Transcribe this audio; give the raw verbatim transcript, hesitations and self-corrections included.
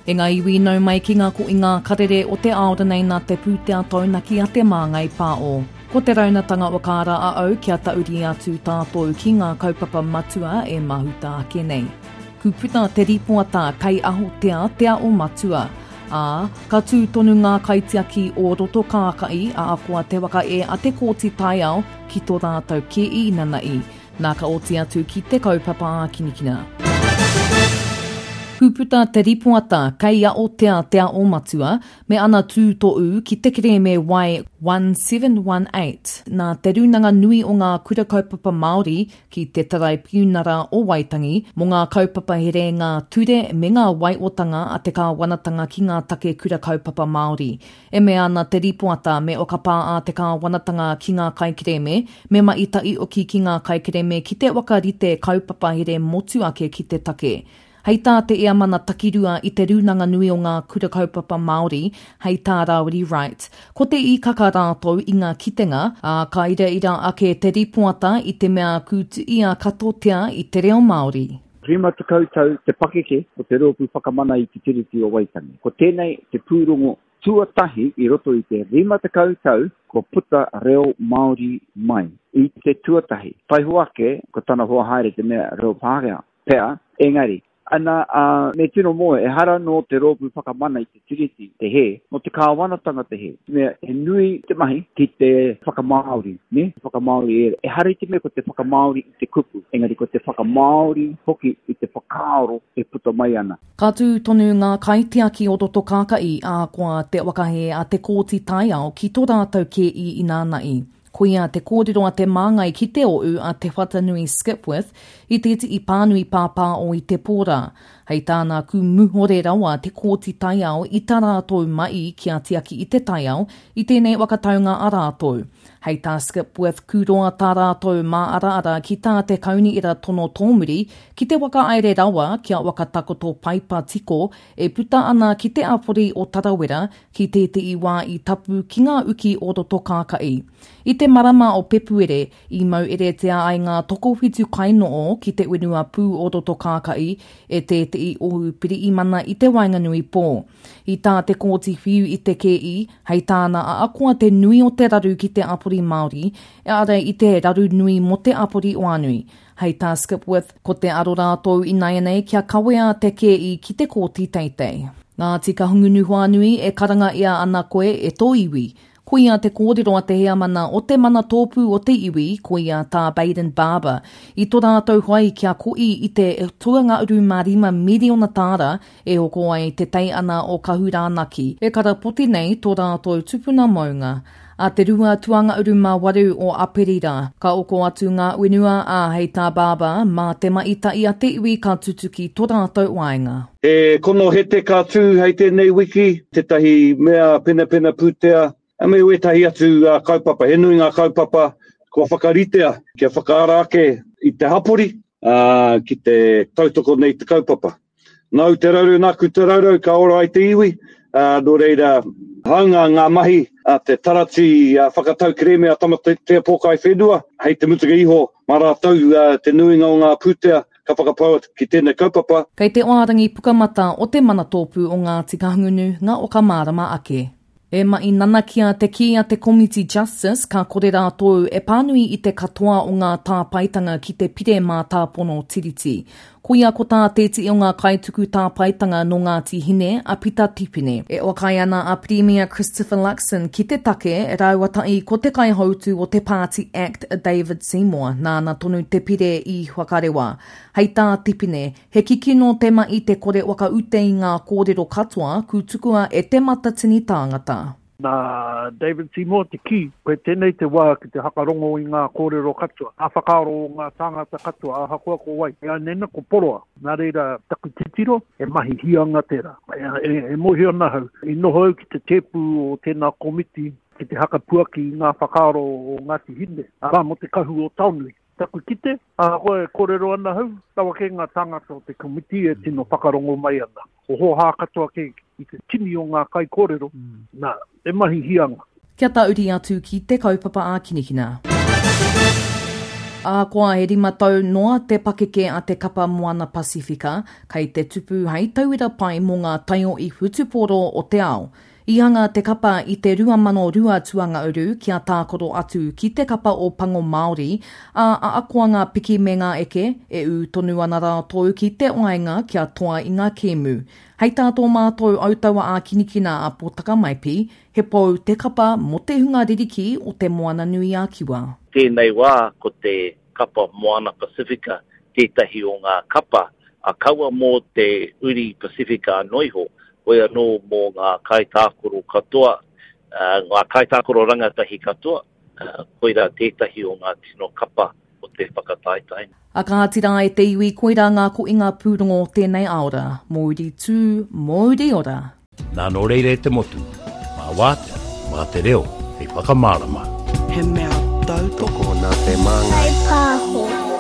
E ngā iwi nau mai ki ngā ko i ngā karere o te aora nei nā te pūtea taunaki a te Māngai Pāo. Ko te raunatanga o kāra a au kia tauri atu tātou ki ngā kaupapa matua e mahuta ake nei. Kuputa te ripoata kei aho te ātea o matua. Ā, ka tū tonu ngā kaitiaki o roto kākai a akoa te waka e a te kōti taiao ki tō rātou ke i nana'i. Nā ka oti atu ki te kaupapa ākinikina. Kūputa te ripoata kei a o te ātea o matua me ana tūto'u ki te kerēme Wai one seven one eight nā te rūnanga nui o ngā kura kaupapa Māori ki te Taraipiunara o Waitangi mō ngā kaupapa here ngā ture me ngā waiotanga a te kāwanatanga ki ngā take kura kaupapa Māori. E mea ana te ripoata me whakapā a te kāwanatanga ki ngā kaikerēme, me maita'i oki ki ngā kaikerēme ki te wakarite kaupapa here motu ake ki te take. Hei tā te Eamana Takirua i te rūnanga nui o ngā kura kaupapa Māori, hei tā Rāwiri Wright. Ko te īkaka rātou i ngā kitenga, ā, ka iraira ake te ripoata i te mea kūtuia katotea i te reo Māori. Rima tekau tau te pakeke o te rōpū whakamana i te Tiriti o Waitangi. Ko tēnei te pūrongo tuatahi i roto i te rima tekau tau kua puta reo Māori mai. I te tuatahi. Taiho ake, ko tana hoa haere te mea reo Pākehā, pea, engari, ana, uh, me tino moe, ehara nō te rōpū whakamana i te Tiriti te hē, nō te kāwanatanga te hē. Mea, he nui te mahi ki te whakamāori, ne? Whakamāori e, ehara i te mea ko te whakamāori i te kupu, engari ko te whakamāori hoki i te whakaaro e puta mai ana. Ka tū tonu ngā kaitiaki o roto kāka'i a koa te wakahe a te kōti taiao ki tō rātou kē i ināna'i. Koia te kōrero a te māngai ki te o'u a Te Whatanui Skipwith i te i pānui pāpā o i te pōra. Hei tāna ku muhore rawa te kōti taiao i tā rātou mai ki a tiaki i te taiao i tēnei wakataunga a rātou. Hei tā Skipwith kūroa tā rātou mā ara ara ki tā te kauni ira tono tōmuri ki te waka aere rawa kia wakatakoto paipa tiko e puta ana ki te apori o Tarawera ki te te iwa i tapu ki ngā uki o roto kāka'i. I te marama o Pepuere, i mau eretea ai ngā tokowhitu kainoo ki te whenua pū o roto kāka'i e te te i ohu piriimana i te waenganui pō. I tā te kōti whiu i te kei, hei tāna a akoa te nui o te raru ki te apori Māori, e ara i te raru nui mō te apori oanui. Hei tā Skipwith, ko te aro rātou i naianei kia kawea te kei ki te kōti teitei. Ngāti Kahungunu Whānui e karanga ia ana koe e tō iwi. Koia te kōrero a te heamana o te mana tōpū o te iwi, koia tā Baden Barber. I tō rātou whai kia ko'i i te tuanga uru mā rima miriona tāra e hoko ai te teiana o Kahurānaki. E karapoti nei tō rātou tupuna maunga. A te rua tuanga uru mā waru o Aperira. Ka oko atu ngā whenua a hei tā Barber, mā te maita'i a te iwi ka tutuki tō rātou waenga. E kono hete ka tū hei tēnei wiki, tētahi mea penapena pūtea, a me wētahi atu uh, kaupapa, he nui ngā kaupapa kua whakaritea kia whakaara ake i te hapori uh, ki te tautoko nei te kaupapa. Nau te rauru, nāku te raurau, ka ora ai te iwi, uh, nō reira, haunga ngā mahi a te tarati uh, whakatau kerēme a Tamatea Pōkai Whenua, hei te mutunga iho, mā rātou uh, te nuinga o ngā pūtea ka whakapaua ki tēnei kaupapa. Kei te oarangi pukamata o te manatōpū o Ngāti Kahungunu, ngā okamārama ake. E mai nanakia te kī a te Komiti Justice ka kore rātou e pānui i te katoa o ngā tāpaetanga ki te pire mātāpono tiriti. Koia ko tā tēti o ngā kaituku tāpaetanga nō Ngāti Hine a Pita Tipene. E wakai ana a Premier Christopher Luxon ki te take rāuata'i ko te kaihautu o te Party Act David Seymour, nāna tonu te pire i whakarewa. Hei tā Tipene, he kikino te mai te kore wakaute i ngā kōrero katoa kūtukua e te matatini tāngata. Nā David Seymour te kī, koe tēnei te wā ki te hakarongo i ngā kōrero katoa, ngā whakaaro o ngā tāngata katoa, ahakoa ko wai. E anena ko poroa, nā reira taku titiro, e mahi hianga tērā. E, e, e mōhio ana hau, i noho au ki te tēpu o tēnā komiti ki te hakapuaki i ngā whakaaro o Ngāti Hine, arā mō te kahu o Taonui. Taku kite, ahakoa e kōrero ana hau, tawa kē ngā tāngata o te komiti e tino whakarongo mai ana. Ko hōhā katoa kē i te tini o ngā kai kōrero, mm. nā, e mahi hianga. Kia tauri atu ki te kaupapa ākinikina. Ahakoa he rima tau noa te pakeke a te kapa Moana Pasifika, kei te tupu hei tauira pai mō ngā taiohi whutupōro o te ao. I hanga te kapa i te rua mano rua tuangauru kia tākaro atu ki te kapa o Pango Māori, ā, ahakoa ngā piki me ngā eke, e ū tonu ana rātou ki te waenga kia toa i ngā kēmu. Hei tā tō mātou autaua ā-kinikina a Pōtaka Maipi, he pou te kapa mō te hunga ririki o Te Moana-nui-a-Kiwa. Tēnei wā ko te kapa Moana Pasifika tētahi o ngā kapa, a kaua mō te uri Pasifika anō iho, hoi anō mō ngā kaitākaro katoa, ngā kaitākaro rangatahi katoa, koirā tētahi o ngā tino kapa o te whakataetae. A kāti rā e te iwi, koirā ngā koinga pūrongo o tēnei aora. Mōuri tū, mōuri ora. Nā nō reira e te motu, mā wātea, mā te reo hei whakamārama. He mea tautoko nā te māngai. Kaipāho.